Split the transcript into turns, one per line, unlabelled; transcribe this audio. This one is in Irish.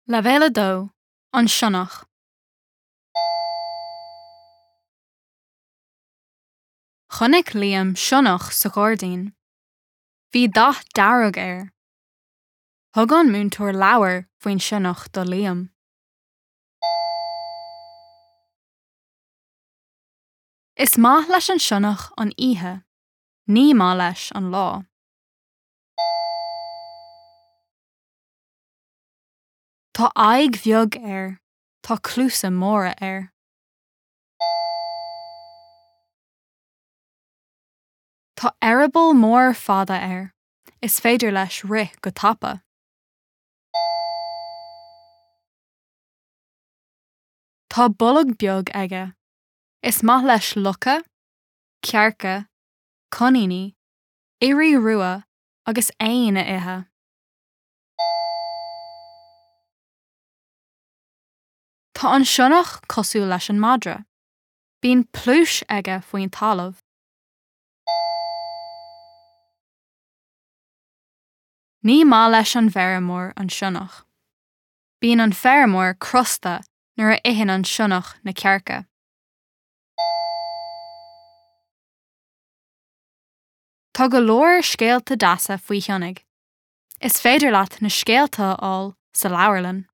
Leibhéal 2, An Sionnach. Chonaic Liam sionnach sa ghairdín. Bhí dath dearg air. Thug an múinteoir leabhar faoin sionnach do Liam. Is maith leis an sionnach an oíche, ní maith leis an lá. Tá aghaidh bheag air, tá cluasa móra air. Tá eireaball mór fada air, is féidir leis rith go tapa. Tá bolg beag aige. Is maith leis lucha, cearca, coiníní, ioraí rua agus éin a ithe. Tá an sionnach cosúil leis an madra. Bíonn pluais aige faoin talamh. Ní maith leis an bhfeirmeoir an sionnach. Bíonn an feirmeoir crosta nuair a itheann an sionnach na cearca. Tá go leor scéalta deasa faoi shionnaigh. Is féidir leat na scéalta a fháil sa leabharlann.